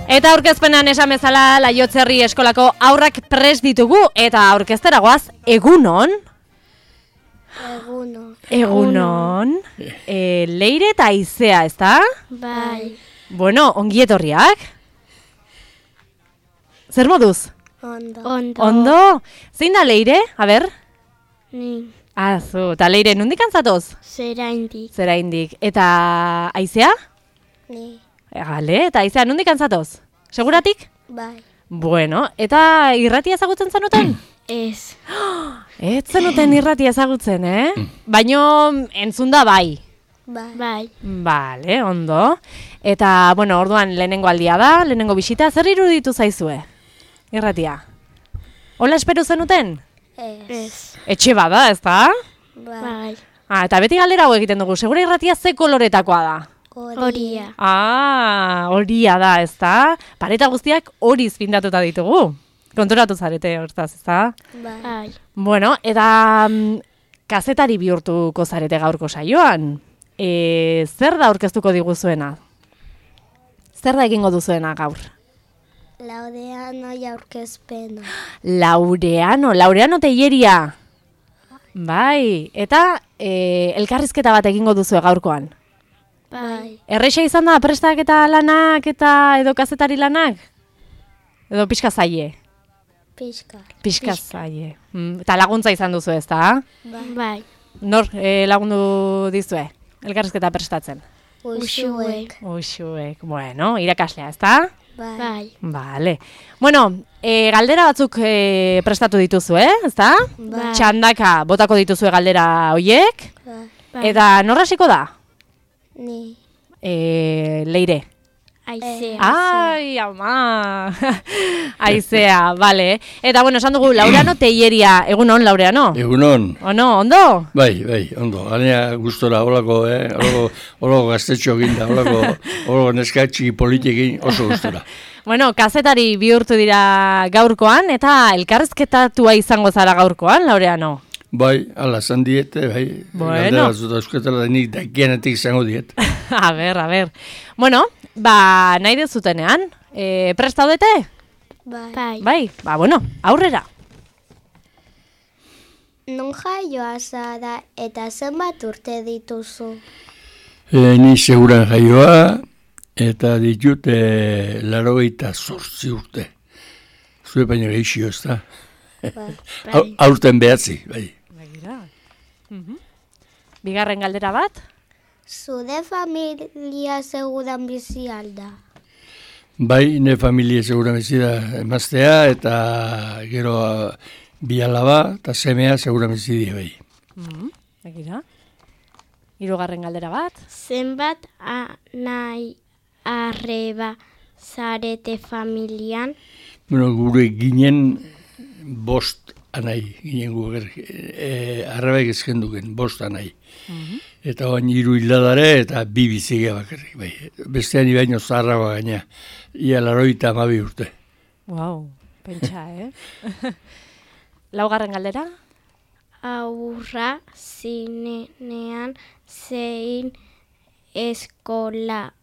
Eta aurkezpenan esan bezala Laiotzerri eskolako haurrak prest ditugu eta aurkeztera goaz egunon. Egunon. Leire eta Aizea, ezta? Bai. Bueno, ongi etorriak. Zer moduz? Ondo. Zein da Leire? A ber? Ni. Zu, eta Leire, nondik antzatoz? Zeraindik. Eta Aizea? Ni. Gale, eta Aizea, nondik antzatoz? Seguratik? Bai. Bueno, eta irratia ezagutzen zenuten? Ez. Ez zenuten irratia ezagutzen, Baino entzun da bai. Bai. Bale, ondo. Eta, bueno, orduan lehenengo aldia da, lehenengo bisita, zer iruditu zaizue? Irratia. Hola espero zenuten? Ez. Etxe bada, ezta? Bai. Eta beti galdera hau egiten dugu, segura irratia ze koloretakoa da? Horia. Horia da, ezta? Pareta guztiak horiz pintatuta ditugu. Konturatu zarete, hortaz, ezta? Bai. Bueno, eta kazetari bihurtuko zarete gaurko saioan. Zer da aurkeztuko diguzuena? Zer da egingo duzuena gaur? Laureano aurkezpena. Laureano Teilleria. Bai, eta elkarrizketa bat egingo duzue gaurkoan. Bai. Erreixa izan da prestaketa lanak eta edo kazetari lanak? Edo pixka zaie? Pixka zaie. Eta laguntza izan duzu, ezta? Bai. Nor lagundu dizue? Elkarrizketa prestatzen? Uxuek. Bueno, irakaslea, ezta? Bai. Vale. Bueno, galdera batzuk prestatu dituzu, ezta? Bai. Txandaka botako dituzue galdera hoiek. Bai. Eta nor hasiko da? Ni. Leire. Aizea. Ai, ama. Aizea, vale. Eta bueno, esan dugu Laureano Teilleria. Egunon, Laureano? Egunon. Ondo? Bai, ondo. Ganea gustora, holako, holako gaztetxo ginda, holako neskatxi politikin oso gustora. Bueno, kazetari bihurtu dira gaurkoan, eta elkarrizketatua izango zara gaurkoan, Laureano? Bai, ala, zan diete, bai. Bueno. Galdera batzuta eusketela da nik dakienetik izango diet. A ber. Bueno, nahi dezutenean, prest daudete? Bai. Bueno, aurrera. Non jaioa zara eta zenbat urte dituzu? Ni seguran jaioa, eta ditut 88 urte. Zue baina gehixio, ez da? Aurten behatzi, bai. Bigarren galdera bat? Zure familia seguran bizi alda? Bai, ne familia seguran bizi da emaztea, eta gero bi alaba, eta semea seguran bizi di, bai. Begira. Hirugarren galdera bat? Zenbat nahi arreba zarete familian? Bueno, gure ginen 5 anai, ginen gure arrebaik ezken duken, 5 anai. Eta oain 3 hildadare eta 2 bizigea bakarrik, bai. Bestean ibaino zaharragoa gaina, ia 82 urte. Wow, pentsa, Laugarren galdera? Aurra zinenean zein eskolatara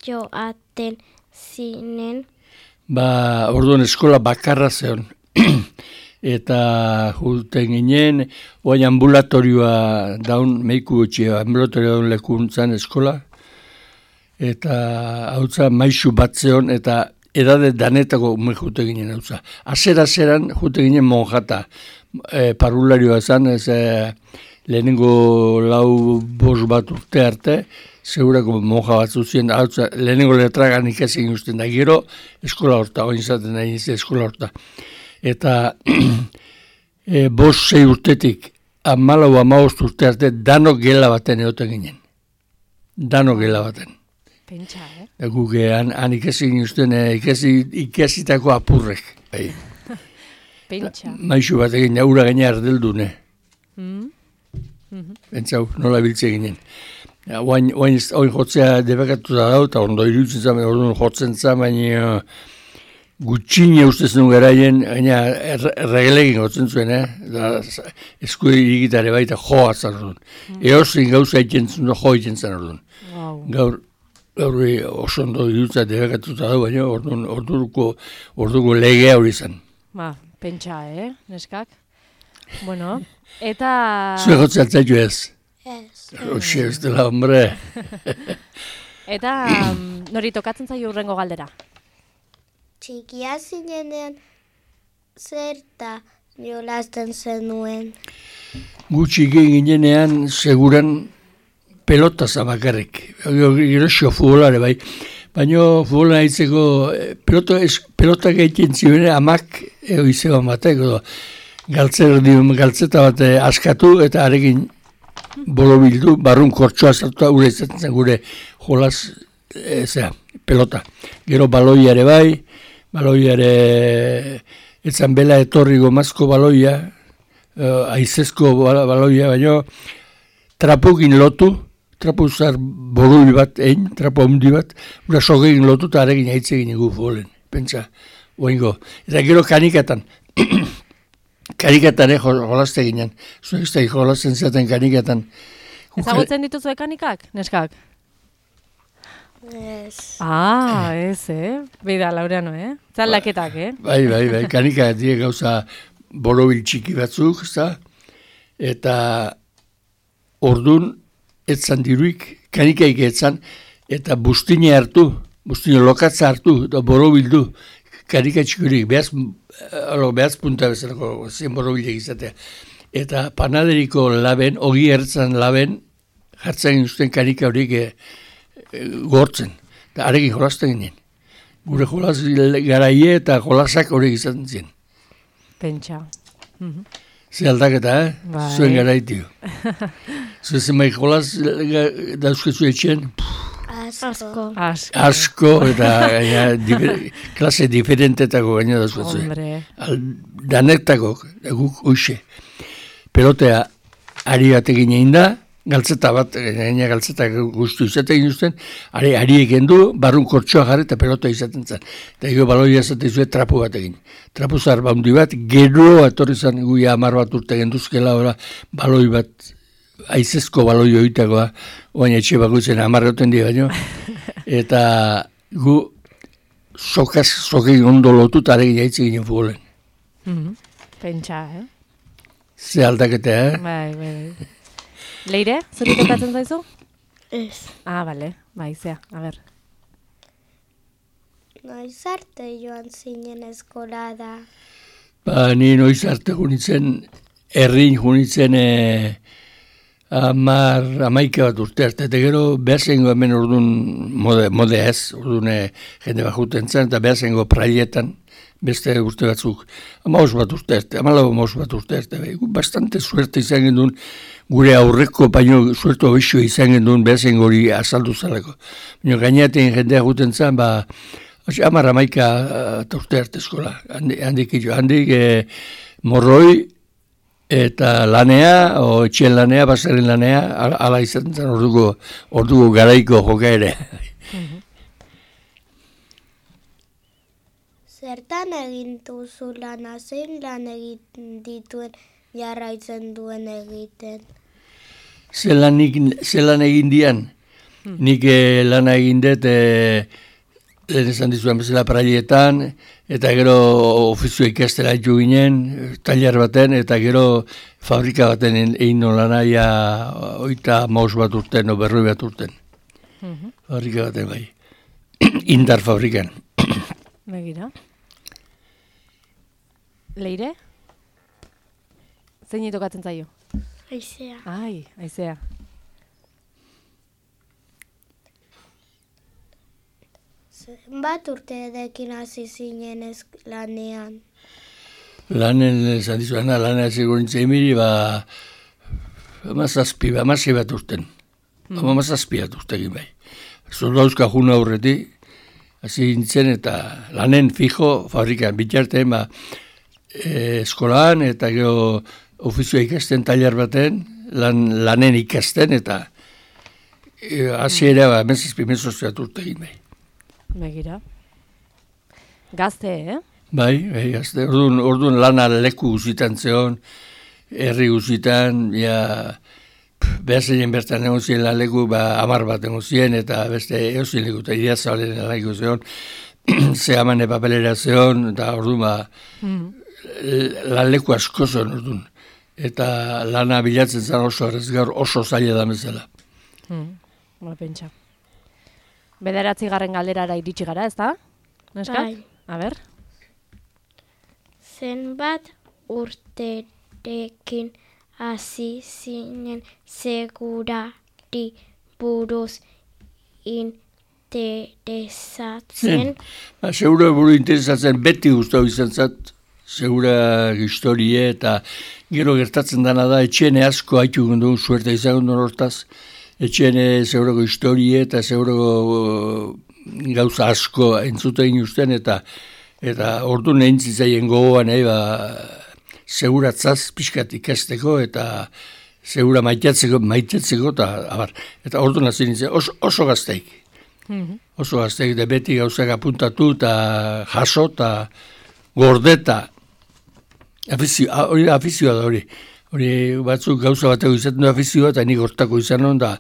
joaten zinen? Orduan eskola bakarra zeon. Eta julten ginen, oain ambulatorioa daun, meiku gutxia, ambulatorioa daun lekuntzan eskola. Eta hautza maisu bat zeon, eta edade danetako ume jute ginen hautza. Azeran jute ginen monjata, parvularioa zan, lehenengo 4-5 bat urte arte, segurako monja batzu ziren, hautza, lehenengo letragan ikasik usten da, gero eskola horta, oin zaten nahi nizi eskola horta. Eta 5-6 urtetik 14-15 urte arte dano gela baten egoten ginen. Dano gela baten. Pentsa, Guk han ikasik usten ikasitako apurrek. Pentsa. Maisu bat egin, aurra gaina ardeldune. Pentsau, nola biltze ginen. Oain jotzea debekatu da dau, eta ondo iruditzen zamen, orduan jotzen zamen, gutxine ustez nuen garaien, gaina erregelegin gotzen zuen, esku egitare baita joa zan orduan. Eozin gauza ikentzun, jo ikentzan orduan. Wow. Gaur, Horri oso ondo dirutza debekatuta da, baina orduko legea hori zen. Ba, pentsa, neskak? Bueno, eta... Zue gotzea altzaitu ez? Ez. Oxe, ez dela, hombre. Eta nori tokatzen zaio hurrengo galdera? Txikia zinenean zerta jolasten zenuen. Gutxi ginenean seguran pelota zabakarrik. Gerosio futbolare bai. Baina futbola haitzeko pelota gaiten ziren amak izan batek. Galtzeta bat askatu eta arekin borobildu, barrun kortsoa zartua gure izaten zen gure jolas pelota. Gero baloiare bai, baloiare etzan bela etorri gomazko baloia, aizezko baloia, baina trapukin lotu, trapu zar borul bat, trapu handi bat, gura sogegin lotu eta arekin haitzegin egu futbolen, pentsa, oingo. Eta gero kanikatan, kanikatan jolazte ginen, zuek jolazten zaten kanikatan. Ezagutzen dituzue kanikak, neskak? Ez. Ez, Beida, Laureano, Zaldaketak, Bai, kanika die gauza borobil txiki batzuk, eta ordun etzan diruik, kanikaik etzan, eta bustine lokatza hartu, eta borobildu, kanika txikurik, behaz punta bezalako zen borobilek izatea. Eta panaderiko laben, ogi ertzan laben, jartzen guztien kanika horiek gortzen. Eta arekin jolazten ginen. Gure jolaz garaie eta jolazak horiek izaten ziren. Pentsa. Ze aldaketa, Bai. Zuen garaitio. Zuen zenbait jolaz dauzkezu etxen, asko eta klase diferentetako gaina dauzkezu. Danektako, guk uixe. Pelotea ari batekin egin da, galtzeta bat, gaina galtzeta guztu izaten guztien, ari egendu, barrun kortsoa jarri eta pelota izaten zen. Eta ego baloia izaten zuen trapu bat egin. Trapu zar baundi bat, gero etorri zen guia 10 bat urte genduzkela, baloi bat, aizezko baloi oitakoa, oain etxe bakoitzen 10 goten dira baino, eta gu sokein ondo lotu eta aregin jaitze ginen futbolen. Pentsa, Ze aldaketa, Bai. Leire, zuri tokatzen zaizu? Ez. Bale, bai, zea, a ber. Noiz arte joan zinen eskola da. Ni noiz arte junitzen, herrin junitzen 11 bat urte arte, eta gero behazengo hemen orduan mode ez, orduan jende bat juten zen, eta behazengo praietan, beste urte batzuk, 15 bat urte arte, 14 bat urte arte, bastante suerte izan gendun, gure aurreko baino suertu abixo izan gendun behazengo hori azaldu zaleko. Baina gainaten jendea juten zen, 11 eta urte arte eskola, handik morroi, eta lanea, etxen lanea, basaren lanea, ala izaten zen orduko garaiko joka ere. Zertan egin duzu lana, zein lan egiten dituen jarraitzen duen egiten? Zelan egin dian? Nik lana egin dut, lehen esan dizuan bezala praietan, eta gero ofizio ikastera jo ginen, tailer baten, eta gero fabrika baten egin nolana, 35 bat urten, berroi bat urten. Fabrika baten bai. Indar fabrikan. Begira. Leire? Zein tokatzen zaio? Aizea. Aizea. Zenbat urteekin hasi zinen lanean? Lanen esan dizuana, lanen segurintzen emiri, amazazpi bat urten. Amazazpi bat urtekin bai. Zoldauzka juna aurretik, hasi nintzen eta lanen fijo fabrikan bitartean, eskolaan eta gero ofizioa ikasten tailer baten, lanen ikasten eta hasi ere mezazpi urtekin bai. Begira. Gazte, Bai, gazte. Orduan lana leku guzitan zeon, herri guzitan, behazeien bertan egon ziren laleku, 10 bat egon ziren, eta beste eozien leku, eta Idiazabalen laleku zion, zehamane papelera zion, eta orduan laleku asko zion orduan. Eta lana bilatzen zen oso gaur oso zaila da bezala. Pentsa. 9. galderara iritsi gara, ez da? Neska? Bai. A ber? Zenbat urterekin hasi zinen segurari buruz interesatzen? Segura buru interesatzen, beti guztau izan zat, segura historie, eta gero gertatzen dana da, etxene asko haitu gundu, suerte izan gundu hortaz, etxene segurako historie eta segurako gauza asko entzuten usten, eta ordu nehintzizaien gogoan, seguratzaz pixkat ikasteko, eta segura maitetzeko, eta ordu nazien nintzen, oso gazteik. Oso gazteik, da beti gauzak apuntatu, eta jaso, eta gordeta. Hori afizioa da hori. Hori batzuk gauza bateko izaten du afizioa, eta nik hortako izan hon, da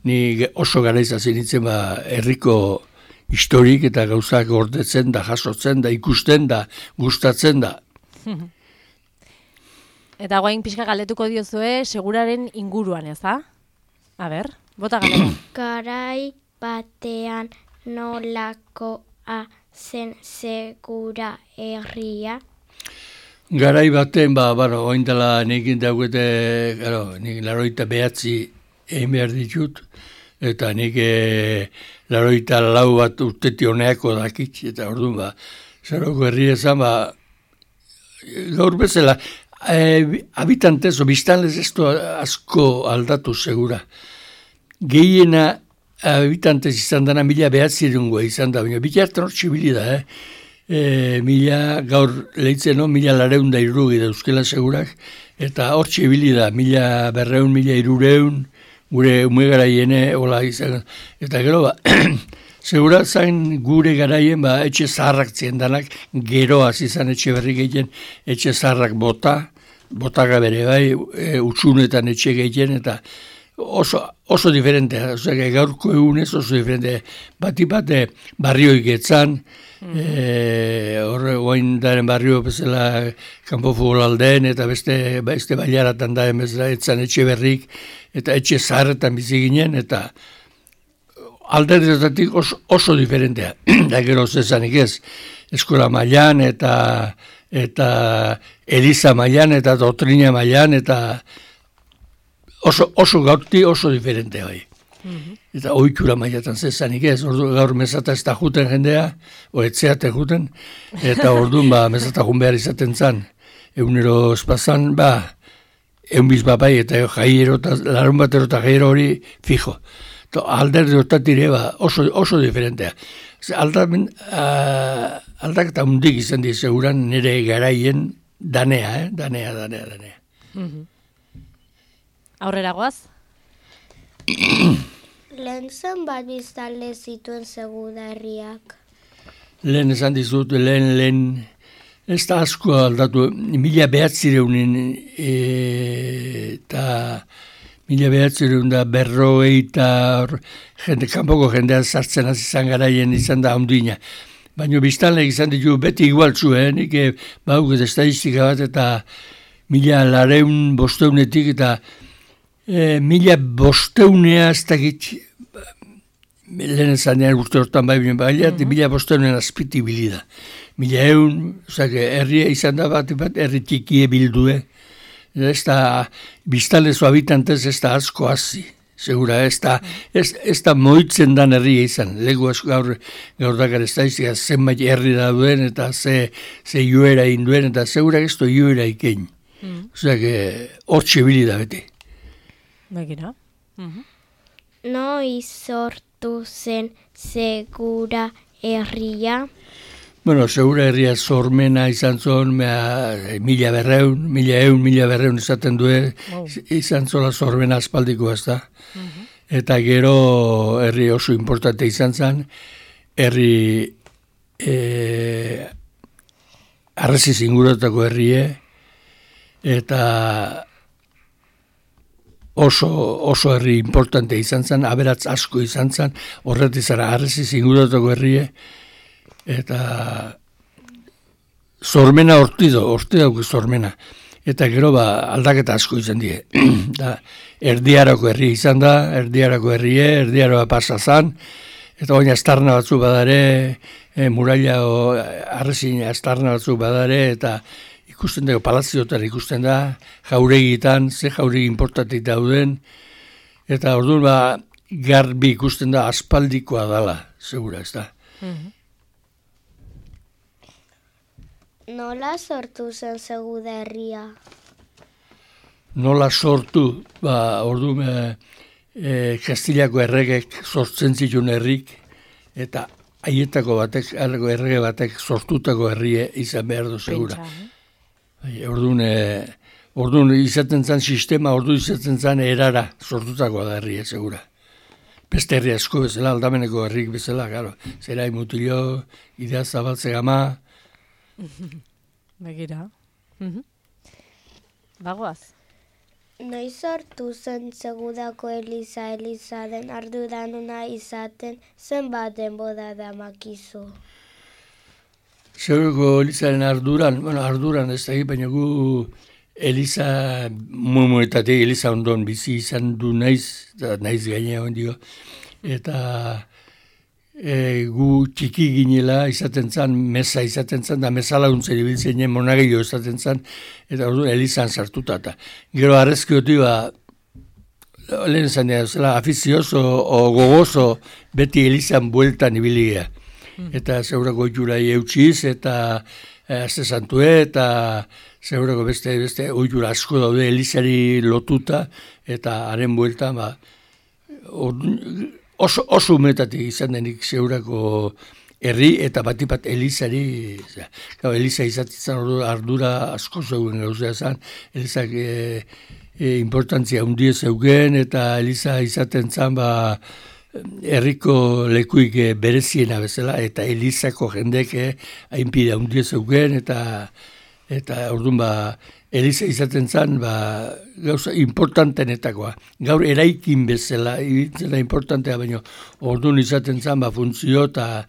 nik oso gara izazien nintzen herriko historik eta gauzak gordetzen, da jasotzen, da ikusten, da gustatzen, da. Eta guain pixka galdetuko diozue, seguraren inguruan, ez da? A ber, bota galdera. Garai batean nolakoa zen segura herria? Garai baten, oin dela nik daukete, nik 89 egin behar ditut, eta nik 84 bat urteti honeako dakit, eta orduan, zaroko herri ezan, gaur bezala, habitantez, biztanlez ez asko aldatu segura. Gehiena habitantez izan dana 1900 izan da, baina bitartan hor txibili da, gaur lehitzen 1400 da euskela segurak, eta hor txibili da, 1200, 1300, gure ume garaiene, hola izan, eta gero segura zain gure garaien, etxe zaharrak ziendanak, geroaz izan etxe berri gehien, etxe zaharrak botaga bere bai, utsunetan etxe gehien, eta oso diferentea, gaurko egunez oso diferentea, bat barrioik etzan, horre guain daren barrio bezala kanpo futbolaldeen, eta beste bailaratan da bezala etzan etxe berrik, eta etxe zaharretan bizi ginen, eta alderretatik oso diferentea. Da gero zezanik ez, eskola mailan, eta eliza mailan, eta doktrina mailan, eta oso gaurti oso diferentea bai. Eta ohitura mailatan zezanik ez, gaur mesata ez da juten jendea, etxeate juten, eta orduan mesata jun behar izaten zan, egunero espazan, eunbiz bai, eta jaiero, larun batero eta jaiero hori fijo. Alderdi hortatire oso diferentea. Aldaketa hundik izan di seguran nire garaien danea. Aurrera goaz? Lehen zen bat biztanle zituen segudarriak. Lehen esan dizut, lehen ez da asko aldatu, 1900 eta 1950 eta kanpoko jendean sartzen hasi izan garaien izan da ondina. Baina biztanleek izan ditu beti igualtzu, nik bauk estadistika bat eta 1500 eta 1500 ez dakit, lehen esanean urte hortan bai, 1500 azpiti bilida. 1100, herria izan da bat, herri txikie bildue. Ez da, biztalezo habitantez ez da asko hazi, segura, ez da moitzen dan herria izan. Legu asko gaur dakar ez da izan, zenbait herri da duen, eta ze joera induen, eta segura ez da joera ikein. Osea, hor txibili da beti. Begira. Noiz sortu zen segura herria? Bueno, segura herria sormena izan zon, 1200 izaten duen, izan zola sormena aspaldikoa ez da. Eta gero herri oso importante izan zen, herri arresiz inguratako herrie, eta oso herri importante izan zen, aberatz asko izan zen, horretik zara Harresiz inguratoko herrie, eta zormena horti dauk zormena. Eta gero aldaketa asko izan die. Da, Erdiarako herri izan da, Erdiarako herrie, Erdiaroa pasa zan, eta baina astarna batzu badare, muraila Harresin astarna batzu badare, eta ikusten dago palazioetan ikusten da, jauregitan, ze jauregi importantik dauden, eta orduan garbi ikusten da aspaldikoa dala, segura, ez da. Nola sortu zen Seguda herria? Nola sortu? Orduan Kastilako erregek sortzen zituen herrik, eta haietako batek, errege batek sortutako herrie izan behar du, segura. Orduan izaten zen sistema, orduan izaten zen erara sortutakoa da herria, segura. Beste herri asko bezala, Aldameneko herrik bezala, garo. Zerai Mutillo, Idea Zabaltze Gama. Begira. Bagoaz. Noiz sortu zen Segudako Eliza den arduraduna izaten zenbat denbora damakizu? Segurako Elizaren arduran ez da, baina gu Eliza mumuetatik Eliza ondon bizi izan du naiz gainea ondio, eta gu txiki ginela izaten zan, mesa izaten zan, da mesa laguntzen ibiltzen monagilo izaten zan, eta orduan Elizan sartuta. Gero arrezkioti lehen zan dira, afizioso o gogozo beti Elizan bueltan ibiligea. Eta segurako oiurai eutxiz, eta azte santue, eta segurako beste oiura asko daude Elizari lotuta, eta haren bueltan, oso umetatik izan denik segurako herri, eta batipat Elizari, Eliza izatzen ardura asko zeuden gauzea zan, Elizak importantzia hundie zeugen, eta Eliza izaten zan, herriko lekuik bereziena bezala, eta Elizako jendek hainpide hundie zeugen, eta orduan Eliza izaten zen, gauza importantenetakoa. Gaur eraikin bezala, ibiltzela importantea, baina orduan izaten zen, funtzio eta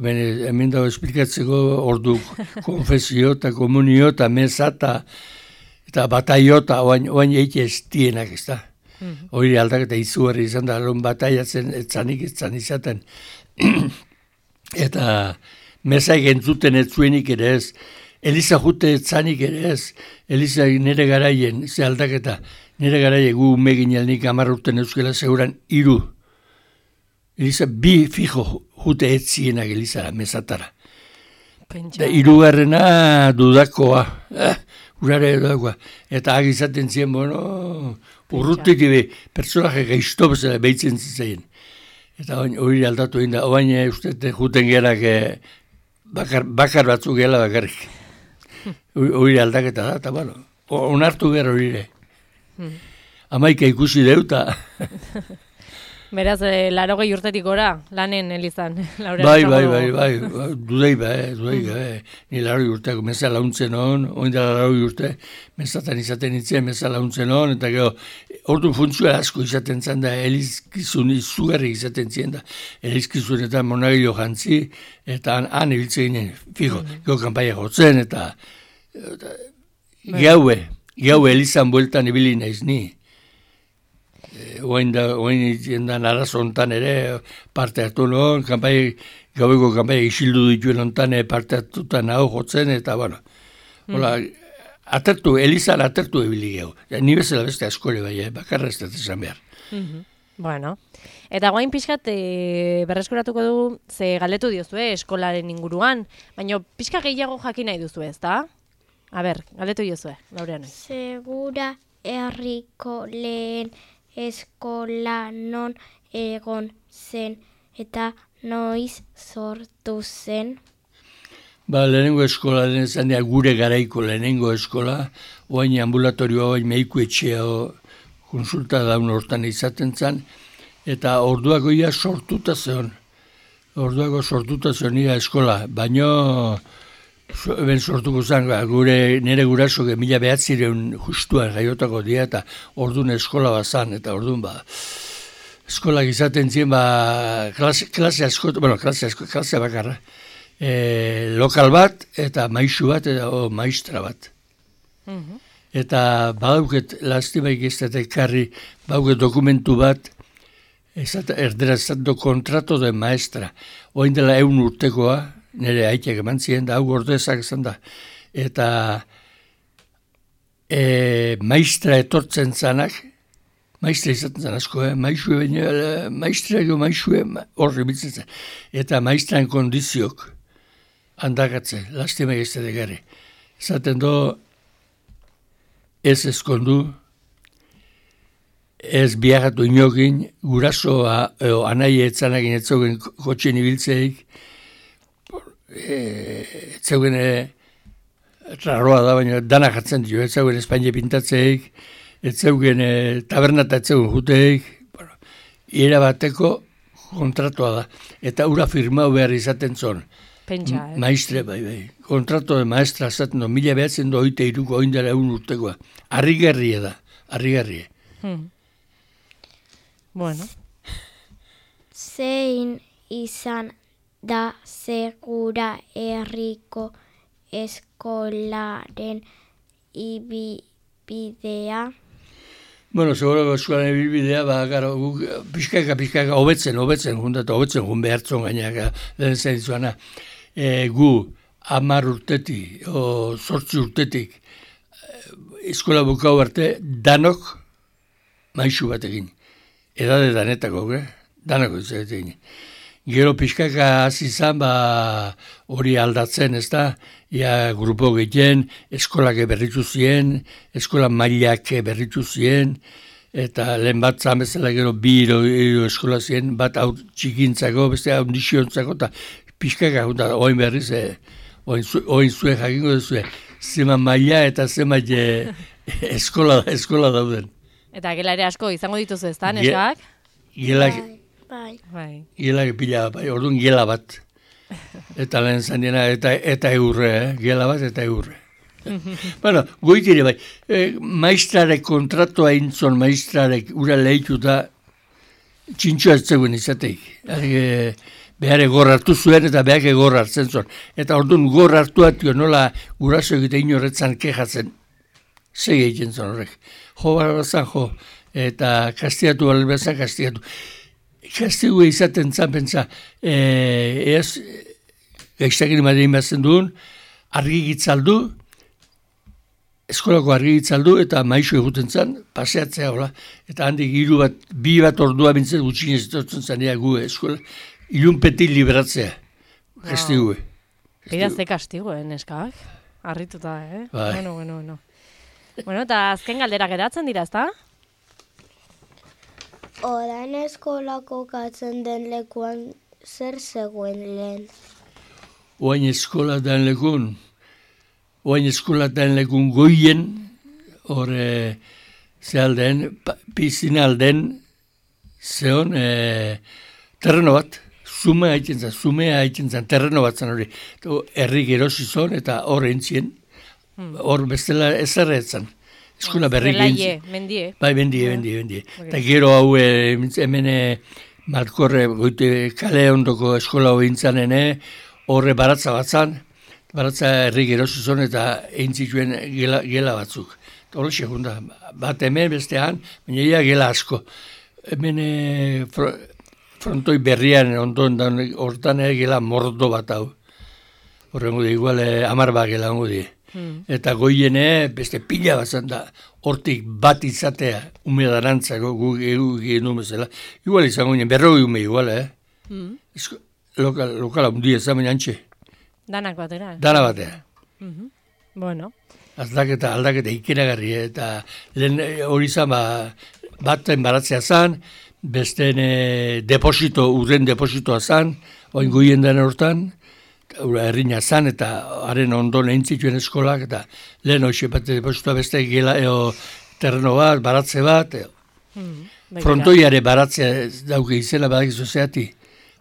hemen dago esplikatzeko ordu konfesio eta komunio eta meza eta bataio eta oain eite ez dienak, ez da. Hori aldaketa izugarri izan da, bataiatzen etzanik izaten. Eta mezaik entzuten ez zuenik ere ez, Eliza jute etzanik ere ez, Eliza nire garaien, ze aldaketa, nire garaien gu megin alnik 10 urten euskela seguran 3. Eliza 2 fijo jute etzienak Elizara, mesatara. Da 3. dudakoa, urare dudakoa, eta agizaten zien, urrutik personaje gaizto bezala behitzen zizaien. Eta hori aldatu egin da, oain uste juten gerak bakar batzuk gela bakarrik. Hori aldaketa da, eta onartu gara hori. Amaika ikusi deuta. Beraz, 80 urtetik gora, lanen Elizan. Bai, dudei ni 80 urteak meza launtzen hon, oin dela 80 urte, mezatan izaten nintzen, meza launtzen hon, eta gero, ordu funtzioa asko izaten zen da, elizkizun izugarri izaten zien da, elizkizunetan monagilo jantzi, eta han ibiltzen ginen, fijo, gero kanpaia jotzen, eta gaue Elizan bueltan ibili naiz ni. Oain jendan arazo ontan ere parte hartu nuen, gaueko kanpai isildu dituen ontan parte hartutan hau jotzen, eta Elizan atertu ebili gehu. Ni bezala beste askole bai, bakarra ez dut esan behar. Bueno, eta guain pixkat berreskuratuko du, ze galdetu diozu, eskolaren inguruan, baina pixka gehiago jakin nahi duzu ez, da? A ber, galdetu diozu, Laureano. Segura herriko lehen eskola non egon zen eta noiz sortu zen? Lehenengo eskola den gure garaiko lehenengo eskola, oain ambulatorioa, oain meiku etxea konsulta daun hortan izaten zen, eta orduako ia sortuta zeon. Orduako sortuta zeon ia eskola, baino ben sortuko zen, nire guraso 1900 justuan jaiotako dia, eta orduan eskola bazan, eta orduan eskolak izaten ziren, klase bakarra, lokal bat, eta maisu bat, eta maistra bat. Eta badauket, lastimaik ez da ekarri, badauket dokumentu bat, erdera estando kontrato de maestra, oin dela 100 urtekoa, nire aitek eman ziren, da hau ordezak izan da. Eta maistra etortzen zanak, maistra izaten zan asko, maistre horri bitzen zen. Eta maistran kondiziok handakatze, lastima ez da egarri. Zaten do, ez eskondu, ez biagatu inokin, gurasoa, anai etzanagin etzogen kotxen ibiltzeik, etzeugen raroa da, baina dana jartzen dio, etzeugen Espainia pintatzeik, etzeugen tabernata etzeugen juteik, ira bateko kontratua da, eta ura firmau behar izaten zon. Pentsa, Maistre, bai. Kontrato de maestra zaten do, 1923ko oindela 100 urtekoa. Arrigarria da, arrigarria. Bueno. Zein izan da segura herriko eskolaren ibibidea? Bueno, seguro eskolaren ibibidea, pixkaka, hobetzen jun behartzon gainak, lehen zen zuana. Gu 10 urtetik, 8 urtetik, eskola bukau arte, danok maisu batekin. Edade danetako, danako izatekin. Gero pixkaka hasi izan, hori aldatzen, ez da, grupo gehien, eskolak berritu ziren, eskola mailak berritu ziren, eta lehen bat zamezela gero 2 eskola ziren, bat hau txikintzako, beste hau nixiontzako, eta pixkaka, oin berriz, oin zuen jakingo duzue, zema maila eta zema eskola dauden. Eta gela ere asko izango dituzu ez da, neskak? Bai. Gelak pila, orduan gela bat. Eta lehen zandiena, eta eurre, gela bat eta eurre. Bueno, goitire bai, maistrarek kontratua intzon, maistrarek ura lehituta txintxoa etzegoen izateik. Behar egor hartu zuen eta behar egor hartzen zuen. Eta orduan gor hartu atio nola guraso egite inorretzan kejatzen. Segi egiten zuen horrek. Jo barazan jo, eta kastigatu balbezan kastigatu. Kastigu izaten zan pentsa, gaiztakin madein bazen duen, argigitzaldu, eskolako argigitzaldu eta maisu eguten zan, paseatzea hola. Eta handik 2 bat ordua bintzen gutxinez etortzen zan gu eskola. Ilunpetik liberatzea, kastigu. Idazte kastigu, neskak? Arrituta, Bai. Bueno. Bueno, eta azken galderak edatzen dira, ezta? Orain eskolako katzen den lekuan zer zegoen lehen? Oain eskola den lekun goien, hor zehalden, pizinalden, zeon, terreno bat, zumea haitzen zen, terreno bat zen hori. Herrik erosi zon eta hor entzien, hor bestela ezerretzen. Eskola berrik egin. Mendie. Bai, mendie. Eta gero hau hemen Malkorre goite kale ondoko eskola hori intzanen, horre baratza batzan, baratza herrik erosi zon eta egin zituen gela batzuk. Eta hori segunda, bat hemen bestean, baina gela asko. Hemen frontoi berrian ondoen hortan gela mordo bat hau. Horrengo di, igual 10 bat gela hongo di. Eta goiene beste pila bat zan da, hortik bat izatea, umedarantzako gu genuen bezala. Igual izango nien, 40 ume igual, Lokala undia zamen antxe. Danak batera. Dana batea. Bueno. Aldaketa ikeragarri, eta lehen hori zan, baten baratzea zan, besteen urren depositoa zan, oin goien den hortan, herrina zan, eta haren ondon egin zituen eskolak, eta lehen hoxe bat depositoa beste gela, terreno bat, baratze bat, frontoiare baratzea dauke izena badakizu zeati,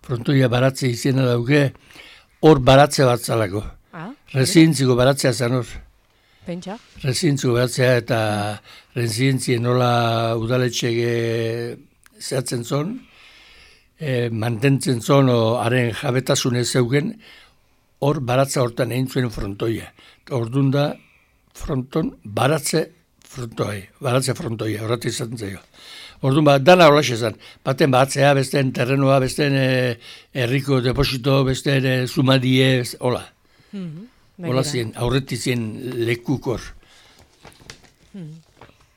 frontoia baratze izena dauke, hor baratze bat zalako. Residentziko baratzea zen hor. Pentsa. Residentziko baratzea eta residentzien nola udaletxege zehatzen zon, mantentzen zon, haren jabetasunez zeugen, hor baratza hortan egin zuen frontoia. Orduan da, fronton baratze frontoia, horretu izaten zaio. Orduan dana holaxe zen, baten batzea, besteen terrenoa, besteen herriko deposito, besteen zumadie, hola. Hola zien, aurretik zien lekukor.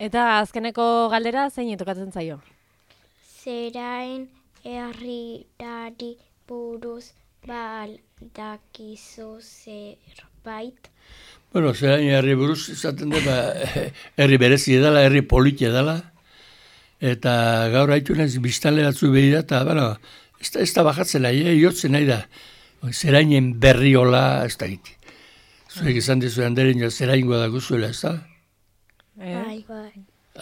Eta azkeneko galdera zein tokatzen zaio? Zerain herrirari buruz baldakizu zerbait? Bueno, zerain herri buruz izaten da, herri berezi edala, herri politia edala, eta gaur haitu naiz biztanle batzu behira, eta, bueno, ez da bajatzen nahi, jotzen nahi da. Zerainen berri hola, ez da giti. Zuek izan dizu handeren, zeraingoa da guzuela, ez da? Bai.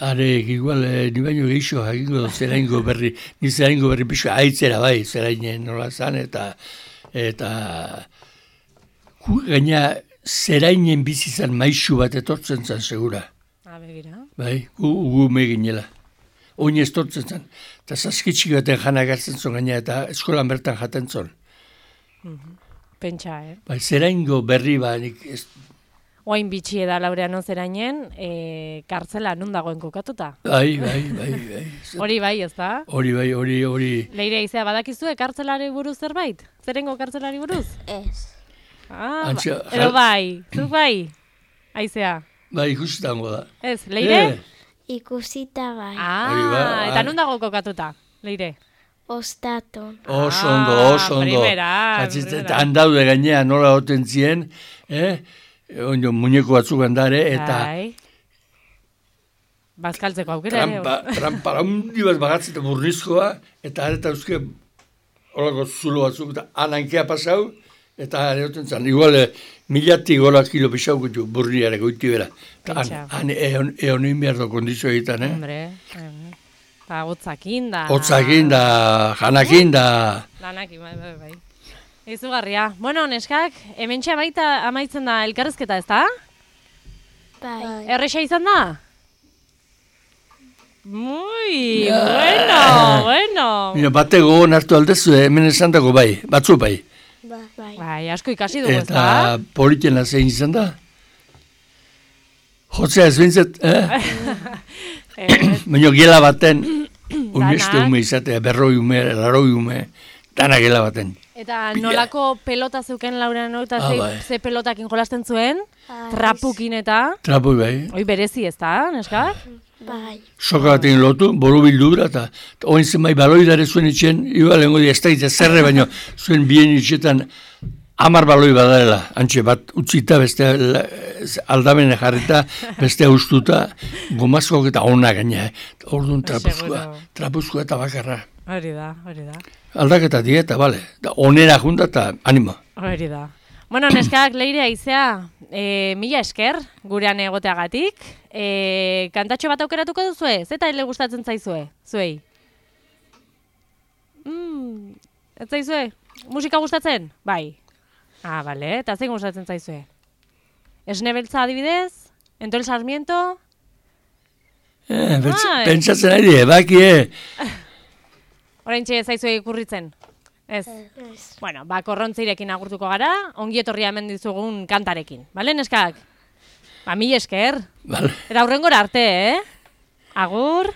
Are, igual, ni baino gehiago jakingo zeraingo berri, ni zeraingo berri pixo aitzera bai, zerainen nola zan, eta gaina zerainen bizizan maisu bat etortzen zan, segura. Begira. Bai, gu meginela. Oin ez tortzen zan. Eta saskitxik baten jana gartzen zon gaina, eta eskolan bertan jaten zon. Pentsa, Bai, zeraingo berri ba, nik ez... Oain bitxi eda Laureano zerainen, kartzela nun dagoen kokatuta. Bai. Hori bai, ez da? Hori bai. Leire aizea, badakizue kartzelari buruz zerbait? Zerengo kartzelari buruz? Ez. Edo bai, zuk bai, aizea. Bai, ikusitango da. Ez, Leire? Ikusita bai. Eta nun dago kokatuta, Leire? Ostaton. Oso ondo. Primera. Eta handaude gainean nola hoten zien, ondo muñeko batzuk handare, eta... Bazkaltzeko aukera. Trampara hundi bat bagatzeta burnizkoa, eta areta euske holako zulo batzuk, eta anankea pasau, eta hoten zan, igual 1000 gola kilo pixau gutu burniare goiti bera. Han egon behar do kondizio egiten, Hombre, eta hotzakin da. Hotzakin da, janakin da. Lanakin, bai. Izugarria. Bueno, neskak, hementxe amaitzen da elkarrezketa, ez da? Bai. Erresa izan da? Muy, bueno. Mira, bate gogon hartu aldezu, hemen esan dago bai, batzu bai. Bai, asko ikasi dugu, ez da? Eta politiena zein izan da? Jotzea ez bintzet, baina gela baten, unbeste ume izatea, 100 ume, 80 ume, dana gela baten. Eta nolako pelota zeuken Laureano, eta ze pelotakin jolasten zuen? Trapukin eta? Trapu bai. Hoi berezi, ez da, neskak? Bai. Soka batekin lotu, bolu bildura, eta oin zenbait baloi dare zuen itxen, iba lehenko ez da itza zerre, baina zuen bien itxetan 10 baloi badarela, antxe bat utzita, beste aldamene jarrita, beste ustuta, gomazkoak eta ona gaina, orduan trapuzkoa eta bakarra. Hori da. Aldaketa dieta, bale, onera junta eta anima. Hori da. Bueno, neskak, Leire aizea, mila esker gurean egoteagatik. Kantatxo bat aukeratuko duzue? Zeta ele gustatzen zaizue? Zuei? Ez zaizue? Musika gustatzen? Bai. Bale, eta zein gustatzen zaizue? Esne beltza adibidez? Entol Sarmiento? Pentsatzen ari, bakie. Oraintxe zaizue ikurritzen? Ez. Bueno, korrontzeirekin agurtuko gara, ongi etorria hemen dizugun kantarekin. Bale, neskak? Mila esker. Vale. Eta aurrengora arte, Agur.